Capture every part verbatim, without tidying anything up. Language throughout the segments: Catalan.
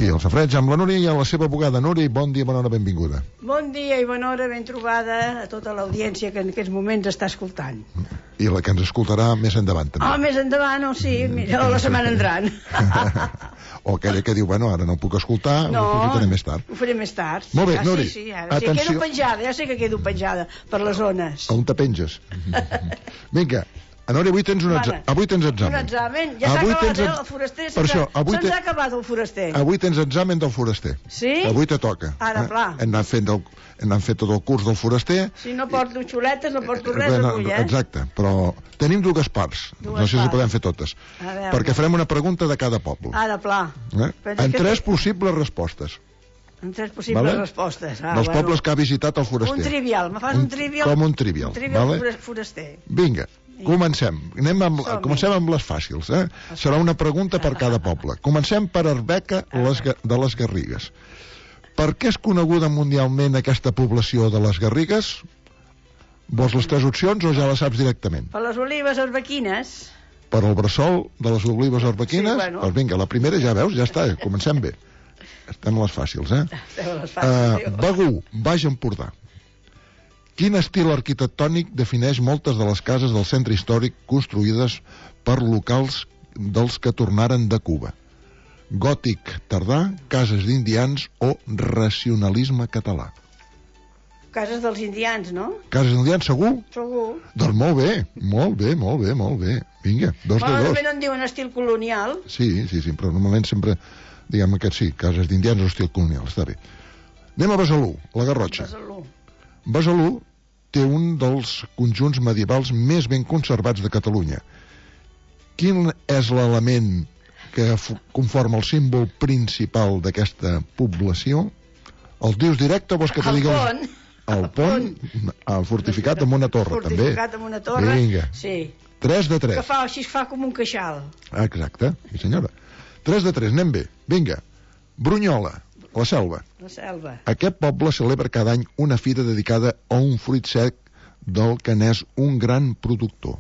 Aquí, al Safareig, amb la Núria i a la seva abogada. Núria, bon dia, bona hora, benvinguda. Bon dia i bona hora, ben trobada a tota l'audiència que en aquests moments està escoltant. I la que ens escoltarà més endavant, també. Ah, més endavant, o sí, mira, la setmana entrant. O aquella que diu, bueno, ara no puc escoltar, no, ho faré més tard. Ho faré més tard. Molt bé, ah, Núria, sí, sí, ara sí, quedo penjada, ja sé que quedo penjada per les zones. On te penges? Vinga. Núria, avui tens un examen. Avui tens examen. Un examen? Ja s'ha acabat el foraster? Se'ns ha acabat el foraster. Avui tens examen del foraster. Sí? Avui te toca. Ara, pla. Hem anat fet tot el curs del foraster. Si no porto xuletes, no porto res avui, eh? Exacte, però tenim dues parts. No sé si podem fer totes. Perquè farem una pregunta de cada poble. Ara, pla. En tres possibles respostes. En tres possibles respostes. Dels pobles que ha visitat el foraster. Un trivial. Me fas un trivial? Com un trivial. Un trivial foraster. Vinga. Comencem. Anem amb, comencem amb les fàcils, eh? Serà una pregunta per cada poble. Comencem per Arbeca les, de les Garrigues. Per què és coneguda mundialment aquesta població de les Garrigues? Vols les tres opcions o ja les saps directament? Per les olives arbequines. Per el bressol de les olives arbequines? Sí, bueno. Doncs vinga, la primera ja veus, ja està, comencem bé. Estem a les fàcils, eh? Estem a les fàcils. Uh, Begur, Baix Empordà. Quin estil arquitectònic defineix moltes de les cases del centre històric construïdes per locals dels que tornaren de Cuba? Gòtic tardà, cases d'indians o racionalisme català? Cases dels indians, no? Cases d'indians, segur? Segur. Doncs molt bé, molt bé, molt bé, molt bé. Vinga, dos de dos. Normalment en diuen estil colonial. Sí, sí, sí, però normalment sempre diguem aquest sí, cases d'indians o estil colonial, està bé. Anem a Besalú, la Garrotxa. Besalú. Besalú té un dels conjunts medievals més ben conservats de Catalunya. Quin és l'element que conforma el símbol principal d'aquesta població? El dius directe o vols que te digui... El pont. El pont, el fortificat amb una torre, fortificat també. Fortificat amb una torre, vinga. Sí. tres de tres. Que fa, així fa com un queixal. Exacte, sí senyora. tres de tres, anem bé. Vinga, Brunyola, la Selva. La Selva. Aquest poble celebra cada any una fira dedicada a un fruit sec del que n'és un gran productor.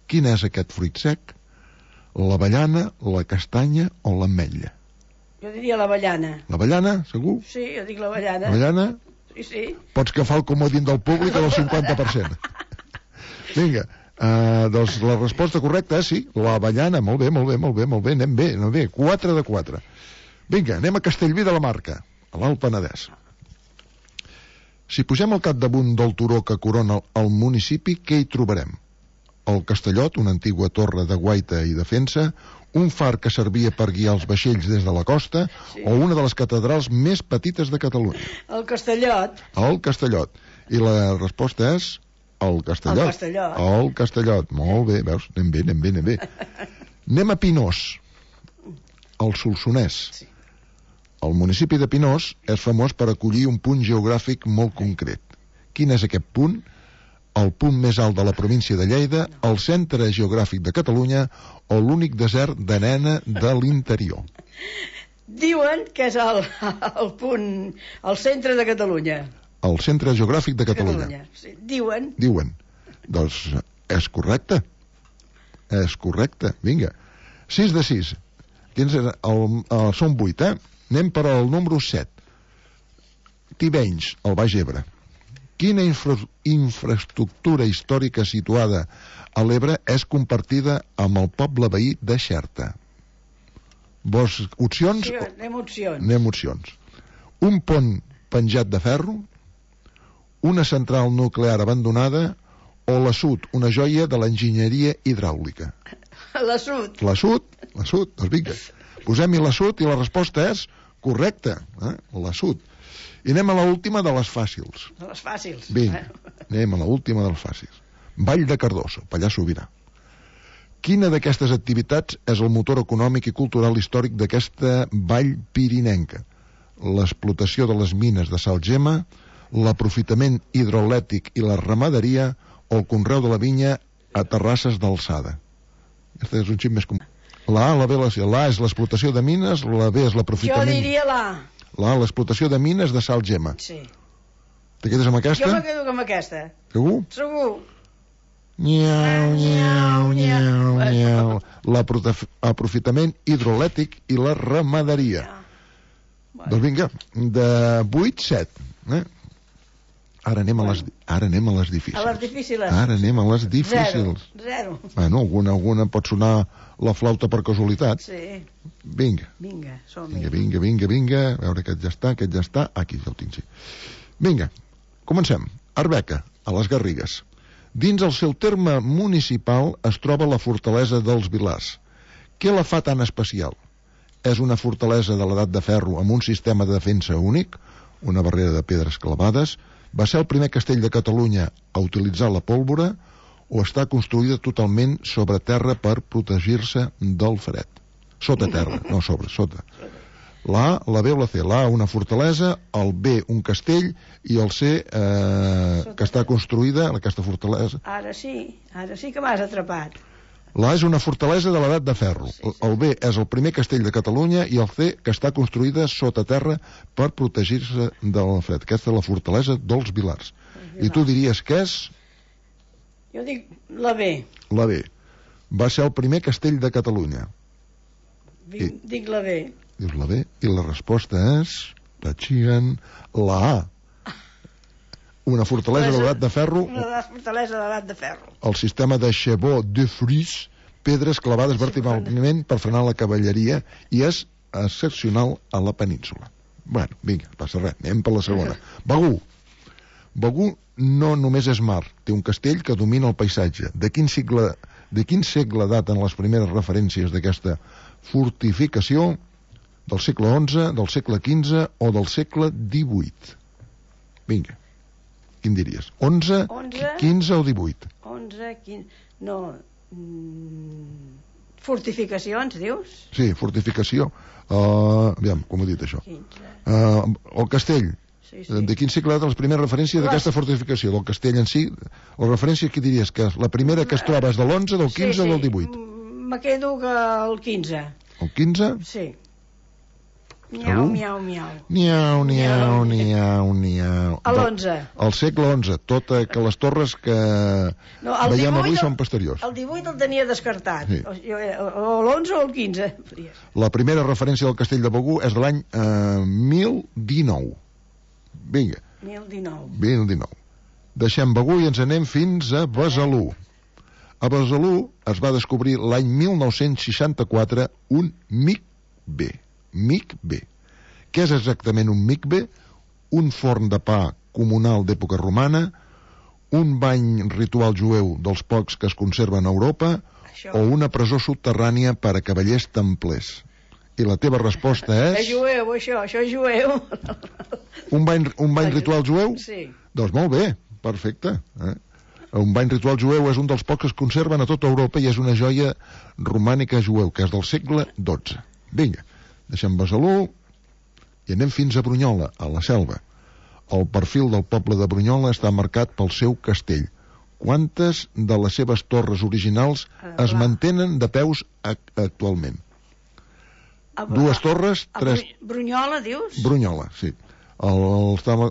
Quin és aquest fruit sec? L'avellana, la castanya o l'ametlla? Jo diria l'avellana. L'avellana, segur? Sí, jo dic l'avellana. L'avellana? Sí, sí. Pots agafar el comodín del públic del cinquanta per cent. Vinga, uh, doncs la resposta correcta és sí, l'avellana. Molt bé, molt bé, molt bé, molt bé, anem bé, anem bé. quatre de quatre. Vinga, anem a Castellví de la Marca, a l'Alt Penedès. Si pugem al capdamunt del turó que corona el municipi, què hi trobarem? El Castellot, una antigua torre de guaita i defensa, un far que servia per guiar els vaixells des de la costa, sí. O una de les catedrals més petites de Catalunya. El Castellot. El Castellot. I la resposta és el Castellot. El Castellot. El Castellot. Molt bé, veus? Anem bé, anem bé, anem bé. Anem a Pinós, el Solsonès. Sí. El municipi de Pinós és famós per acollir un punt geogràfic molt concret. Quin és aquest punt? El punt més alt de la província de Lleida, el centre geogràfic de Catalunya o l'únic desert d'arena de l'interior? Diuen que és el, el punt, el centre de Catalunya. El centre geogràfic de Catalunya. Catalunya. Sí. Diuen. Diuen. Doncs és correcte. És correcte. Vinga. sis de sis. Quins el, el, són vuit, eh? Anem per al número set. Tivenys, el Baix Ebre. Quina infra, infraestructura històrica situada a l'Ebre és compartida amb el poble veí de Xerta? Vols opcions? Sí, anem opcions. Anem opcions. Un pont penjat de ferro, una central nuclear abandonada o la Sud, una joia de l'enginyeria hidràulica? La Sud. La Sud, la Sud, doncs vinga. Posem-hi la Sud i la resposta és correcta, eh? La Sud. I anem a l'última de les fàcils. De les fàcils. Vinga, anem a l'última de les fàcils. Vall de Cardós, Pallars Sobirà. Quina d'aquestes activitats és el motor econòmic i cultural històric d'aquesta vall pirinenca? L'explotació de les mines de salgema, l'aprofitament hidroelèctric i la ramaderia o el conreu de la vinya a terrasses d'alçada? Aquest és un xip més comú. La A, la B, la C. La A és l'explotació de mines, la B és l'aprofitament... Jo diria la A. La A, l'explotació de mines de sal gema. Sí. Te quedes amb aquesta? Jo me quedo amb aquesta. Segur? Segur. Nyau, nyau, nyau, nyau. L'aprofitament hidroelèctric i la ramaderia. Bueno. Doncs vinga, de vuit, set. Eh? Ara anem, a les, ara anem a les difícils. A les difícils. Ara anem a les difícils. Zero. Zero. Bueno, alguna, alguna pot sonar la flauta per casualitat. Sí. Vinga. Vinga, som-hi. Vinga, vinga, vinga, vinga. A veure, aquest ja està, aquest ja està. Aquí ja ho tinc, sí. Vinga, comencem. Arbeca, a les Garrigues. Dins el seu terme municipal es troba la fortalesa dels Vilars. Què la fa tan especial? És una fortalesa de l'edat de ferro amb un sistema de defensa únic, una barrera de pedres clavades. Va ser el primer castell de Catalunya a utilitzar la pólvora o està construïda totalment sobre terra per protegir-se del fred? Sota terra, no sobre, sota. La A, la B o la C? La A, una fortalesa, el B, un castell, i el C, eh, que està construïda, aquesta fortalesa... Ara sí, ara sí que m'has atrapat. La A és una fortalesa de l'edat de ferro. Sí, sí. El B és el primer castell de Catalunya i el C, que està construïda sota terra per protegir-se del fred. Aquesta és la fortalesa dels Vilars. I tu diries que és? Jo dic la B. La B. Va ser el primer castell de Catalunya. Dic, I... dic la B. Dius la B. I la resposta és... Tachien, la A. Una fortalesa de l'edat de ferro... Una fortalesa de l'edat de ferro. El sistema de Chevaux de Frise, pedres clavades verticalment per frenar la cavalleria, i és excepcional a la península. Bueno, vinga, passa res, anem per la segona. Begur. Begur no només és mar, té un castell que domina el paisatge. De quin segle, de quin segle daten les primeres referències d'aquesta fortificació? Del segle onze, del segle quinze o del segle divuit? Vinga. Quin diries? onze, quinze o divuit? onze, quinze... No... Mm, fortificacions, dius? Sí, fortificació. Uh, aviam, com he dit això? Uh, el castell. Sí, sí. De quin segle data les primeres referències d'aquesta fortificació? Del castell en si? La referència, què diries? Que la primera que es troba és de l'onze, del quinze sí, sí. o del divuit? Me quedo que el quinze. El quinze? Sí. Miau, miau, miau. Niau, niau, niau, niau. A l'onze. Al segle onze, tot que les torres que no, veiem divuit, avui són posteriors. El divuit el tenia descartat. Sí. O, o l'onze o el quinze. La primera referència del castell de Begur és de l'any eh, mil dinou. Vinga. mil dinou. mil dinou. Deixem Begur i ens anem fins a Besalú. A Besalú es va descobrir l'any mil nou-cents seixanta-quatre un micbe. Micbe. Què és exactament un micbe? Un forn de pa comunal d'època romana, un bany ritual jueu dels pocs que es conserven a Europa, això. O una presó subterrània per a cavallers templers. I la teva resposta és... És jueu, això, això és jueu. Un bany, un bany ritual jueu? Sí. Doncs molt bé, perfecte. Eh? Un bany ritual jueu és un dels pocs que es conserven a tota Europa i és una joia romànica jueu, que és del segle dotze. Vinga. Deixem Besalú i anem fins a Brunyola, a la Selva. El perfil del poble de Brunyola està marcat pel seu castell. Quantes de les seves torres originals es mantenen de peus actualment? Dues torres, tres... Brunyola, dius? Brunyola, sí. El, el,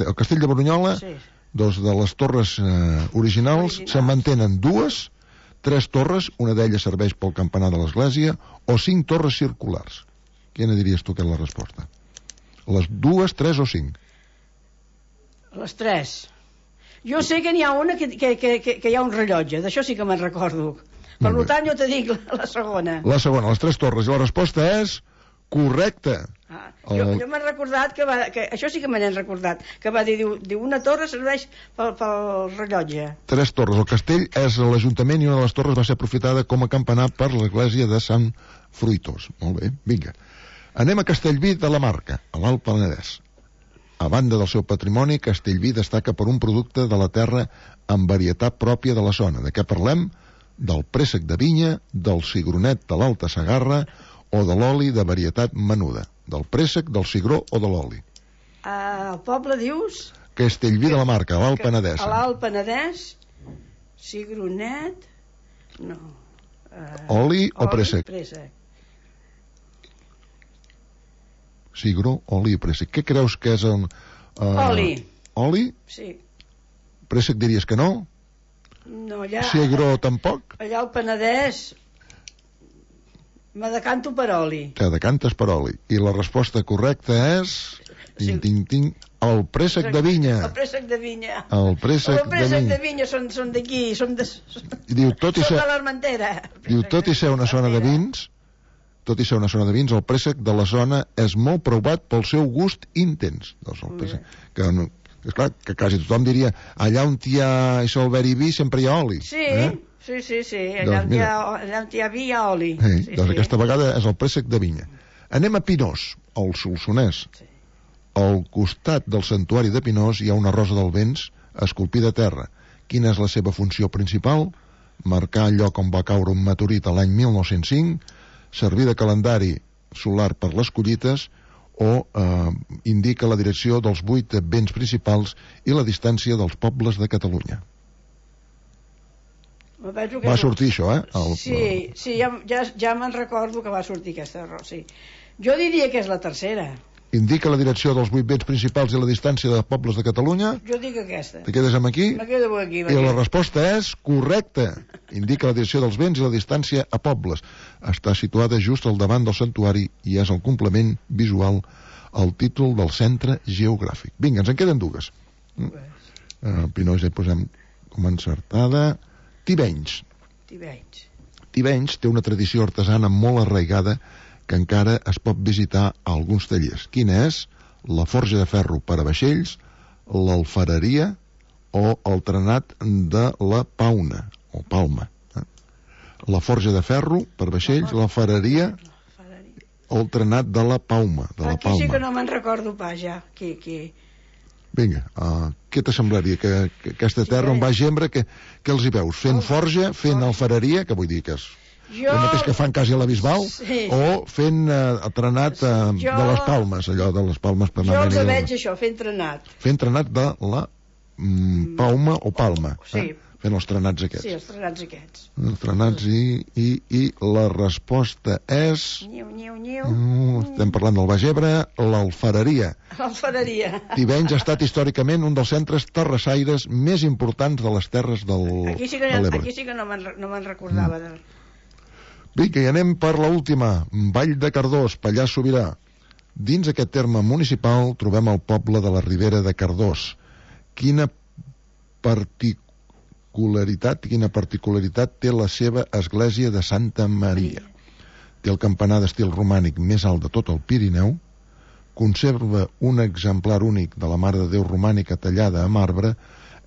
el castell de Brunyola, sí. Dos de les torres eh, originals, originals. Se mantenen dues, tres torres, una d'elles serveix pel campanar de l'església, o cinc torres circulars. Quina diries tu que és la resposta? Les dues, tres o cinc? Les tres. Jo sé que n'hi ha una que, que, que, que hi ha un rellotge, d'això sí que me'n recordo. Per tant, jo te dic la, la segona. La segona, les tres torres. I la resposta és correcta. Ah, jo el... jo m'he recordat que, va, que això sí que me n'he recordat, que va dir, diu, diu una torre serveix pel, pel rellotge. Tres torres. El castell és l'Ajuntament i una de les torres va ser aprofitada com a campanar per l'església de Sant Fruitós. Molt bé, vinga. Anem a Castellví de la Marca, a l'Alt Penedès. A banda del seu patrimoni, Castellví destaca per un producte de la terra amb varietat pròpia de la zona. De què parlem? Del préssec de vinya, del cigronet de l'Alta Segarra o de l'oli de varietat menuda. Del préssec, del cigró o de l'oli. Uh, el poble dius? Castellví de la Marca, a l'Alt Penedès. A l'Alt Penedès, cigronet... No. Uh, oli o préssec? Préssec. Cigró, oli i préssec. Què creus que és el... Uh, oli. Oli? Sí. Préssec diries que no? No, allà... Cigró tampoc? Allà al Penedès... Me decanto per oli. Que decantes per oli. I la resposta correcta és... Ting, Sí. ting, ting, el préssec de vinya. El préssec de vinya. El préssec El préssec de de vinya són, són d'aquí, són de... I diu, tot i Són ser... de l'Armentera. Diu, tot i ser una zona de vins, tot i ser una zona de vins, el préssec de la zona és molt provat pel seu gust intens. Doncs el préssec, que, no, és clar, que quasi tothom diria, allà on hi ha això, el veri vi, sempre hi ha oli. Sí, eh? sí, sí, sí. Allà, Doncs on hi ha, mira. allà on hi ha vi hi ha oli. Eh, sí, doncs sí. aquesta vegada és el préssec de vinya. Anem a Pinós, al Solsonès. Sí. Al costat del santuari de Pinós hi ha una rosa del vents esculpida a terra. Quina és la seva funció principal? Marcar el lloc on va caure un meteorit a l'any mil nou-cents cinc, servir de calendari solar per les collites o eh, indica la direcció dels vuit vents principals i la distància dels pobles de Catalunya. Me penso que Va és- sortir això, eh? El, Sí, sí, ja, ja, ja me'n recordo que va sortir aquesta error, sí. Jo diria que és la tercera. Indica la direcció dels vuit vents principals i la distància de pobles de Catalunya. Jo dic aquesta. Te quedes amb aquí? Me quedo aquí. me I la quedo. resposta és correcta. Indica la direcció dels vents i la distància a pobles. Està situada just al davant del santuari i és el complement visual al títol del centre geogràfic. Vinga, ens en queden dues. Uh, Pinós ja hi posem com a encertada. Tivenys. Tivenys. Tivenys té una tradició artesana molt arraigada que encara es pot visitar a alguns tallers. Quina és? La forja de ferro per a vaixells, l'alfareria o el trenat de la pauna, o palma. Eh? La forja de ferro per a vaixells, l'alfareria o el trenat de la pauma, de la Aquí sí que palma. no me'n recordo pas, ja. Qui, qui... Vinga, uh, què t'assemblaria? Que, que aquesta terra on va Gembra, que, que els hi veus? Fent forja, fent alfareria, que vull dir que és Jo... el mateix que fan quasi a la Bisbal, Sí. o fent uh, trenat uh, Jo- de les palmes, allò de les palmes per Jo anar els a veig això, fent trenat. fent trenat de la mm, pauma o palma, Sí. eh? Fent els trenats aquests. Sí, els trenats aquests. Els trenats i, i, i la resposta és... Niu, niu, niu. Uh, estem parlant del Baix Ebre, l'alfareria. L'alfareria. Tivenys ha estat històricament un dels centres terrassaires més importants de les terres del, Aquí sí que, de l'Ebre. aquí sí que no me'n no me'n recordava. De... Vinga, i anem per l'última. Vall de Cardós, Pallars Sobirà. Dins aquest terme municipal trobem el poble de la Ribera de Cardós. Quina particularitat, quina particularitat té la seva església de Santa Maria? Té el campanar d'estil romànic més alt de tot el Pirineu, conserva un exemplar únic de la Mare de Déu romànica tallada a marbre,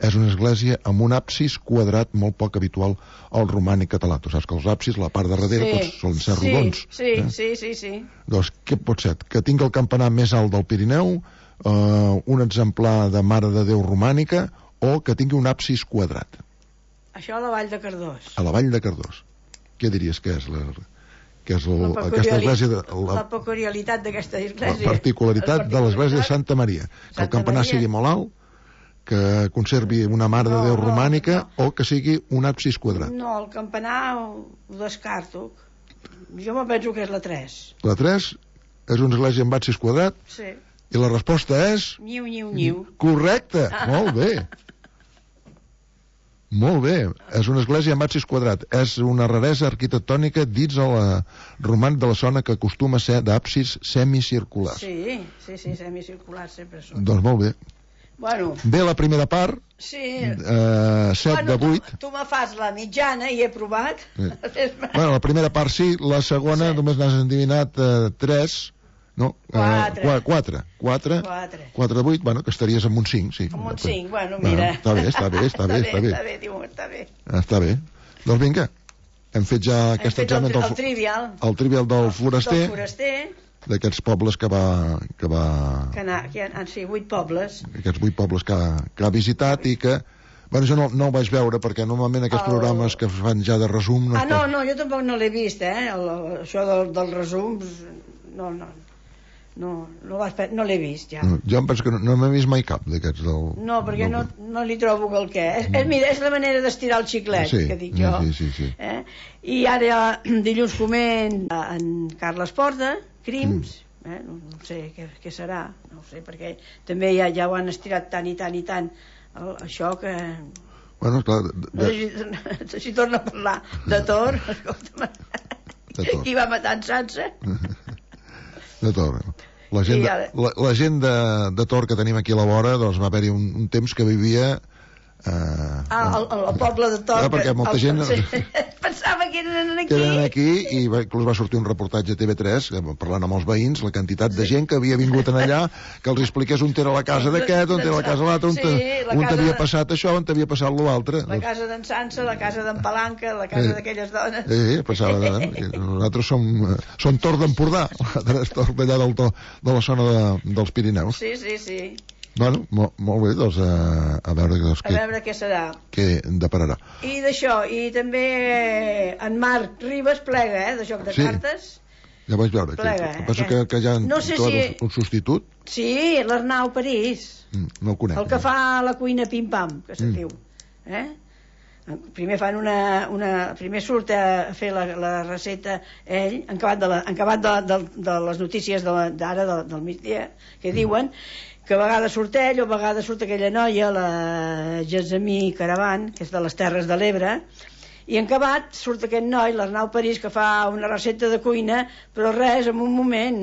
és una església amb un absis quadrat molt poc habitual al romànic català. Tu saps que els absis, la part de darrere, Sí, tots solen ser sí, rodons. Sí, eh? sí, sí, sí. Doncs què pot ser? Que tingui el campanar més alt del Pirineu, eh, un exemplar de Mare de Déu romànica, o que tingui un absis quadrat. Això a la Vall de Cardós. A la Vall de Cardós. Què diries que és la, que és el, La aquesta peculiari- església de, La la, peculiaritat d'aquesta la església. particularitat de l'església de Santa Maria? Que el Santa campanar Maria. sigui molt alt, que conservi una Mare de No, Déu no, romànica, o que sigui un absis quadrat. No, el campanar ho, ho descarto. Jo me penso que és la tres. La tres és una església amb absis quadrat, Sí. i la resposta és... Niu, niu, niu. Correcte, molt bé. Molt bé, és una església amb absis quadrat. És una raresa arquitectònica dins el romànic de la zona que acostuma a ser d'absis semicirculars. Sí, sí, sí, semicircular sempre són. Doncs molt bé. Bueno, Bé, la primera part, sí. eh, set bueno, de vuit. Tu, tu me fas la mitjana i he provat. Sí. Bueno, la primera part sí, la segona Sí. només n'has endivinat eh, tres, no? Quatre. Eh, qua- quatre. Quatre. Quatre. Quatre de vuit, bueno, que estaries amb un cinc, sí. Com un cinc, bueno, mira. Bueno, està bé, està bé, està bé, està bé. Està bé, diu, està bé. Està bé. Doncs vinga, hem fet ja Hem aquest fet el, examen tri- del, el trivial. el trivial del foraster, Del foraster, d'aquests pobles que va, que va, que, na, que han, han sigut vuit pobles. aquests vuit pobles que ha, que ha visitat i que, bueno, jo no, no ho vaig veure perquè normalment aquests El- programes que fan ja de resum no Ah, es no, pot- no, jo tampoc no l'he vist, eh? El, el, això del, del resums, no, no, no, no, vas, pe- no l'he vist, ja. no, jo em penso que no, no m'he vist mai cap d'aquests del... No, perquè no, del- no li trobo que el què. És, és, mira, és la manera d'estirar el xiclet, Sí, que dic jo. sí, sí, sí. Eh? I ara dilluns coment en Carles Porta, Crims, Mm. eh? no, no sé què, què serà, no ho sé, perquè també ja, ja ho han estirat tant i tant i tant, el, això que... Bueno, clar, de, No sé si, si torna a parlar de Tor, escolta'm, de Tor. Qui va matar en Sansa? De Tor. La gent, ara... de, la, la gent de, de Tor que tenim aquí a la vora, doncs va haver-hi un, un temps que vivia... Uh, ah, el, el poble de Tor. Ja, perquè molta el, gent... Sí, pensava que eren aquí. Que eren aquí, i va, inclús va sortir un reportatge a T V tres, parlant amb els veïns, la quantitat de gent que havia vingut en allà, que els expliqués on era la casa d'aquest, on era la casa de l'altre, on, sí, on t'havia passat això, on t'havia passat l'altre. La casa d'en Sansa, la casa d'en Palanca, la casa eh, d'aquelles dones. Sí, passava. Eh? Nosaltres som, som Tor d'Empordà, l'altre és Tor d'allà del to, de la zona de, dels Pirineus. Sí, sí, sí. Bueno, molt, molt bé, doncs a, a veure, doncs, a veure què serà. Què depararà. I d'això, i també en Marc Ribas plega, eh, de joc de sí. cartes. Ja vaig veure. Plega, que, penso que, que ja han no sé trobat si... un substitut. Sí, l'Arnau París. Mm, no el conec. El que fa la cuina pim-pam, que se mm. diu. Eh? Primer fan una, una... Primer surt a fer la, la recepta ell, en acabat de, la, en acabat de, de, de les notícies d'ara, de de, del migdia, que diuen que a vegades surt ell o a vegades surt aquella noia, la Gessamí Caravan, que és de les Terres de l'Ebre, i en acabat surt aquest noi, l'Arnau París, que fa una recepta de cuina, però res, en un moment,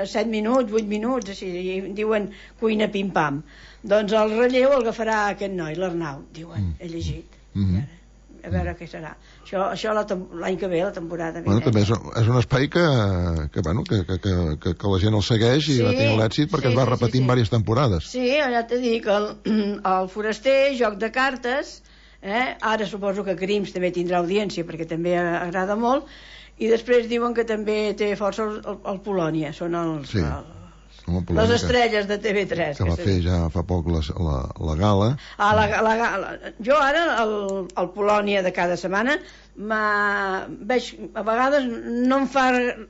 set minuts, vuit minuts, així, i diuen cuina pim-pam. Doncs el relleu el agafarà aquest noi, l'Arnau, diuen, he llegit. Mm-hmm. A veure què serà. Això, això l'any que ve, la temporada bueno, també és, és un espai que, que, bueno, que, que, que, que la gent el segueix i sí, va tenir l'èxit perquè sí, es va repetint sí, sí, sí. diverses temporades. Sí, ja t'he dit que el, el Foraster, joc de cartes, eh? Ara suposo que Crims també tindrà audiència perquè també agrada molt, i després diuen que també té força el, el, el Polònia, són els... Sí. El, les estrelles de T V tres que va fer ja fa poc la, la, la gala. Ah, la, la, la, jo ara el, el Polònia de cada setmana veig, a vegades no em fa,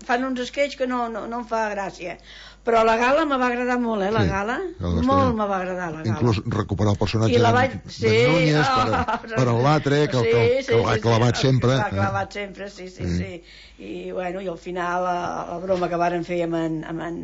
fan uns sketches que no, no, no em fa gràcia, però la gala me va agradar molt, eh, la sí, gala molt me va agradar la gala, inclús recuperar el personatge de, vaig... sí, de Núñez oh, per, per en l'altre que, sí, que, que, sí, que l'ha clavat sí, sempre l'ha clavat sempre, sí, sí, sí, sí. I, bueno, i al final la, la broma que varen fer amb en, amb en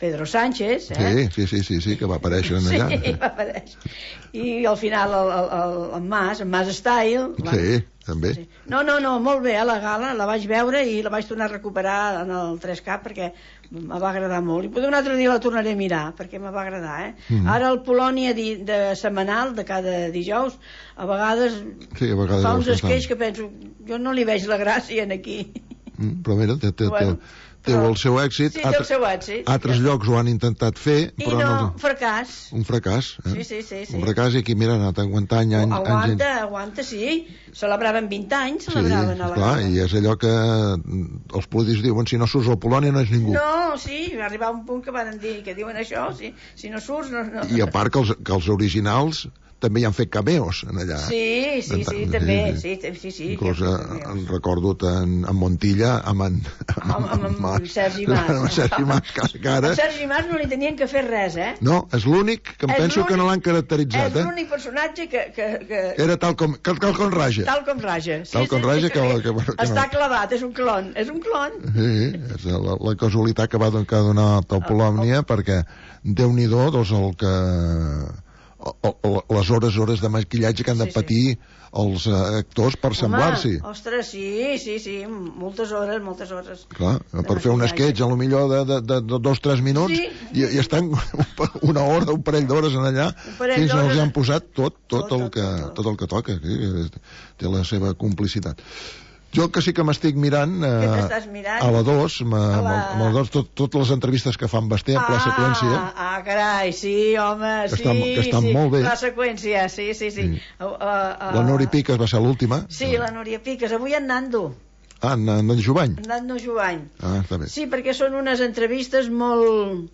Pedro Sánchez, eh? Sí, sí, sí, sí, que va aparèixer allà. Sí, va aparèixer. I al final el, el, el, el Mas, el Mas Style. Sí, també. Sí. No, no, no, molt bé, a la gala, la vaig veure i la vaig tornar a recuperar en el tres K perquè me va agradar molt. I potser un altre dia la tornaré a mirar, perquè me va agradar, eh? Mm. Ara el Polònia de, de setmanal, de cada dijous, a vegades, sí, a vegades fa uns esquells que penso, jo no li veig la gràcia en aquí. Mm, però mira, té, té, bueno, té però, el seu èxit. Sí, té el seu èxit. Altres sí. llocs ho han intentat fer, però I no, no... fracàs. Un fracàs, eh? Sí, sí, sí, sí. Un fracàs i aquí, mira, ha anat aguantant any, aguanta, anys... Aguanta, aguanta, sí. Celebraven vint anys, celebraven sí, a la clar, gala. I és allò que els polítics diuen, si no surts al Polònia no és ningú. No, sí, va arribar un punt que van dir que diuen això, si, si no surts... No, no. I a part que els, que els originals també hi han fet cameos en allà. Sí, sí, sí, també, sí, sí, sí. Inclús en recordo en, en Montilla amb en, amb, amb, amb, amb Sergi Mas. Amb Sergi Mas, que ara... A Sergi Mas no li tenien que fer res, eh? No, és l'únic que em és penso que no l'han caracteritzat, és eh? És l'únic personatge que, que, que... Era tal com, tal, tal com raja. Tal com raja. Sí, tal com sí, raja sí, que... que, que, que, que està no. clavat, és un clon, és un clon. Sí, és la, la casualitat que va donar el Polònia, perquè Déu-n'hi-do, doncs el que... les hores hores de maquillatge que han de patir sí, sí. els actors per semblar-s'hi. Ostres, sí, sí, sí, moltes hores, moltes hores. Clar, per fer un sketch, a lo millor de, de, de, de dos o tres minuts, sí. i, i estan una hora, un parell d'hores en allà, fins que els han posat tot, tot, tot, el, que, tot, tot. tot el que toca. Sí, té la seva complicitat. Jo que sí que m'estic mirant, eh, mirant? a la dos, la... amb la dos tot, totes les entrevistes que fan Basté en pla ah, seqüència. Ah, carai, sí, home, que sí, estan, que estan sí, molt bé. Pla seqüència, sí, sí, sí. sí. Uh, uh, uh, la Nori Piques va ser l'última. Sí, la Núria Piques, avui en Nando. Ah, en, en Jovany. En Nando Jovany. Ah, està bé. Sí, perquè són unes entrevistes molt...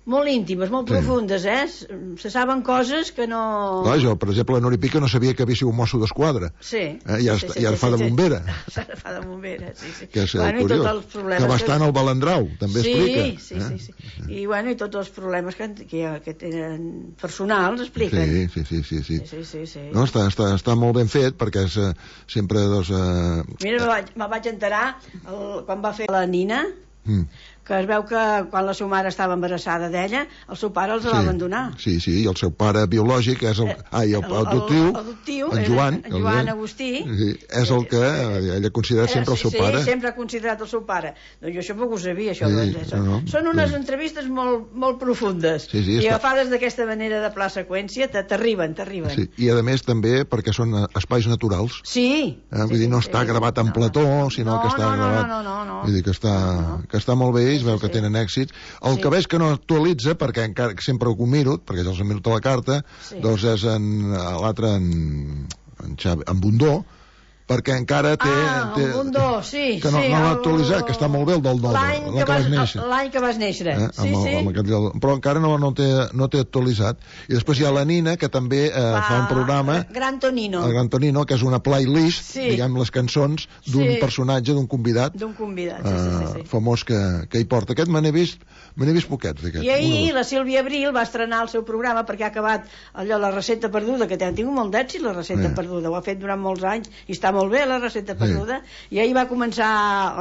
molt íntimes, molt sí. profundes, eh? Se saben coses que no... Clar, jo, per exemple, la Nori Pica no sabia que havia sigut un mosso d'esquadra. Sí. Eh? I ara, sí, sí, i ara sí, fa sí, de bombera. Sí. Fa de bombera, sí, sí. Que és bueno, curiós. I tots els problemes que va estar en el Balandrau, també sí, explica. Sí, eh? sí, sí. I, bueno, i tots els problemes que, que, que tenen personals expliquen. Sí, sí, sí. sí, sí. sí, sí, sí. No, està, està, està molt ben fet, perquè és uh, sempre, doncs... Uh... Mira, me vaig, me vaig enterar el, quan va fer la Nina, mm. que es veu que quan la seva mare estava embarassada d'ella, el seu pare els sí, va abandonar. Sí, sí, i el seu pare biològic és el... Ah, i el, el adoptiu, el, adoptiu en Joan, en Joan Agustí, sí, és el que ella considera sempre el seu sí, pare. Sí, sempre ha considerat el seu pare. Doncs jo això poc ho sabia, això. Sí, doncs, són, no, són unes sí. entrevistes molt, molt profundes. Sí, sí, I està... agafades d'aquesta manera de pla seqüència, t'arriben, t'arriben. Sí, i a més també perquè són espais naturals. Sí. Eh, vull dir, no està sí, gravat en no, plató, no, sinó no, que està no, no, gravat... No, no, no, no. Vull dir que està, no. que està molt bé, i es veu sí, que sí. tenen èxits. El sí. que veig que no actualitza, perquè encara sempre ho miro, perquè ja els he mirat a la carta, sí. doncs és en l'altre, en, en, Xavi, en Bundó, perquè encara té... Ah, té, el Bundó, sí. Que no, sí, no l'ha actualitzat, que està molt bé el del Dodo, l'any que, que vas néixer. L'any que vas néixer, eh? sí, amb el, sí. amb aquell, però encara no, no, té, no té actualitzat. I després hi ha la Nina, que també eh, fa, fa un programa... Gran Tonino. El Gran Tonino, que és una playlist, sí. diguem, les cançons d'un sí. personatge, d'un convidat, d'un convidat sí, sí, sí, sí. Eh, famós que, que hi porta. Aquest me n'he vist, me n'he vist poquets, d'aquests. I ahir la Sílvia Abril va estrenar el seu programa perquè ha acabat allò, la recepta perduda, que han tingut molt d'èxit, la recepta eh. perduda. Ho ha fet durant molts anys i està molt bé, la recepta perduda. Sí. I ahir va començar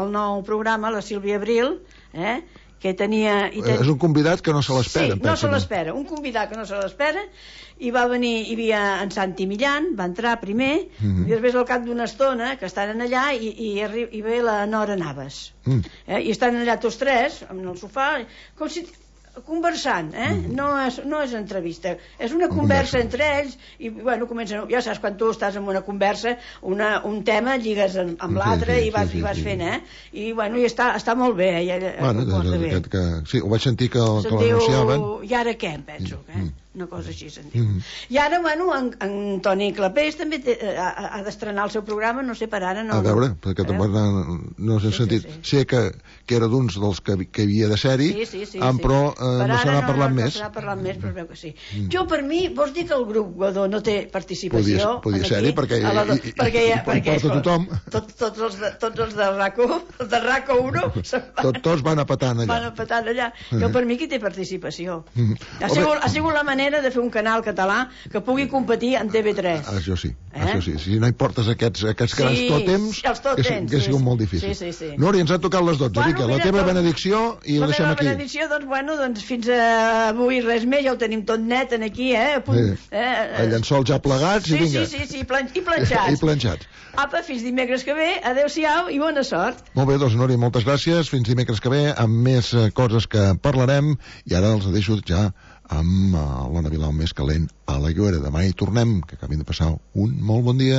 el nou programa, la Sílvia Abril, eh? que tenia... I ten... És un convidat que no se l'espera. Sí, no se l'espera, un convidat que no se l'espera, i va venir, hi havia en Santi Millán, va entrar primer, mm-hmm. i després al cap d'una estona, que estan allà, i, i, arri... i ve la Nora Navas. Mm. Eh? I estan allà tots tres, en el sofà, com si... conversant, eh? Mm. No, és, no és entrevista, és una conversa, conversa entre ells, i bueno, comencen, ja saps, quan tu estàs en una conversa, una, un tema lligues amb, amb sí, l'altre sí, i vas, sí, sí, i vas sí. fent, eh? I bueno, i està, està molt bé, eh? Ella, bueno, des, des, aquest que, sí, ho vaig sentir que, que l'anunciaven. I ara què, em penso, eh? Mm. Una cosa així se'n diu. Mm. I ara, bueno, en, en Toni Clapés també té, ha, ha d'estrenar el seu programa, no sé, per ara no... A veure, perquè eh? tampoc no, no s'ha sí, sentit. Sí, sí. Sé que, que era d'uns dels que, que havia de ser-hi, sí, sí, sí, sí. però eh, per no se n'ha parlat no, més. No se n'ha parlat més, però es veu que sí. Mm. Jo, per mi, vols dir que el grup Godó no té participació? Podia, podia ser-hi, perquè, la, i, i, perquè, i, perquè, perquè tothom. Tot, tots, els de, tots els de RACO, els de RACO uno, tot, tots van a petant allà. Van a petant allà. Jo, per mi, qui té participació? Mm. Ha, sigut, ha sigut la manera de fer un canal català que pugui competir en T V tres. Ah, això sí, eh? això sí. Si no hi portes aquests, aquests sí, grans tòtems, tòtems, que, que ha sigut sí, molt difícil. Sí, sí, sí. Nori, ens ha tocat les dotze. Bueno, Rica, mira, la teva tot, benedicció i ho deixem aquí. La meva benedicció, doncs, bueno, doncs fins a avui res més, ja ho tenim tot net en aquí, eh? A punt, sí. eh? El llençol ja plegats sí, i vinga. Sí, sí, sí, plan i planxats. I planxats. Apa, fins dimecres que ve, adeu-siau i bona sort. Molt bé, doncs, Nori, moltes gràcies. Fins dimecres que ve, amb més uh, coses que parlarem. I ara els deixo ja amb uh, l'Anna Vilau més calent a la Lloera. Demà hi tornem, que acabin de passar un molt bon dia.